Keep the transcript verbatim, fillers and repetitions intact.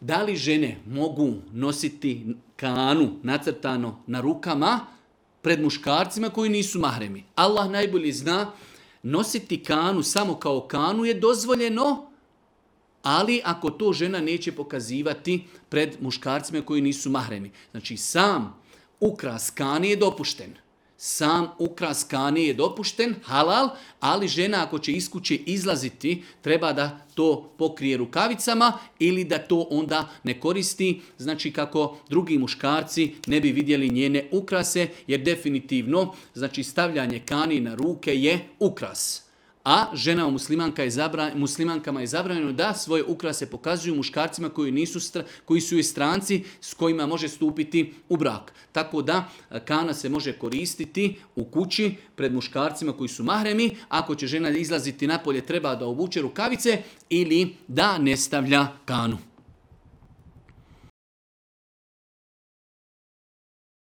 da li žene mogu nositi kanu nacrtano na rukama pred muškarcima koji nisu mahremi? Allah najbolje zna, nositi kanu samo kao kanu je dozvoljeno, ali ako to žena neće pokazivati pred muškarcima koji nisu mahremi. Znači sam ukras kane je dopušten. Sam ukras kane je dopušten, halal, ali žena ako će iz kuće izlaziti, treba da to pokrije rukavicama ili da to onda ne koristi, znači kako drugi muškarci ne bi vidjeli njene ukrase, jer definitivno znači stavljanje kani na ruke je ukras. A ženama muslimanka je zabra, muslimankama je zabranjeno da svoje ukrase pokazuju muškarcima koji, nisu, koji su i stranci s kojima može stupiti u brak. Tako da kana se može koristiti u kući pred muškarcima koji su mahremi. Ako će žena izlaziti napolje treba da obuče rukavice ili da ne stavlja kanu.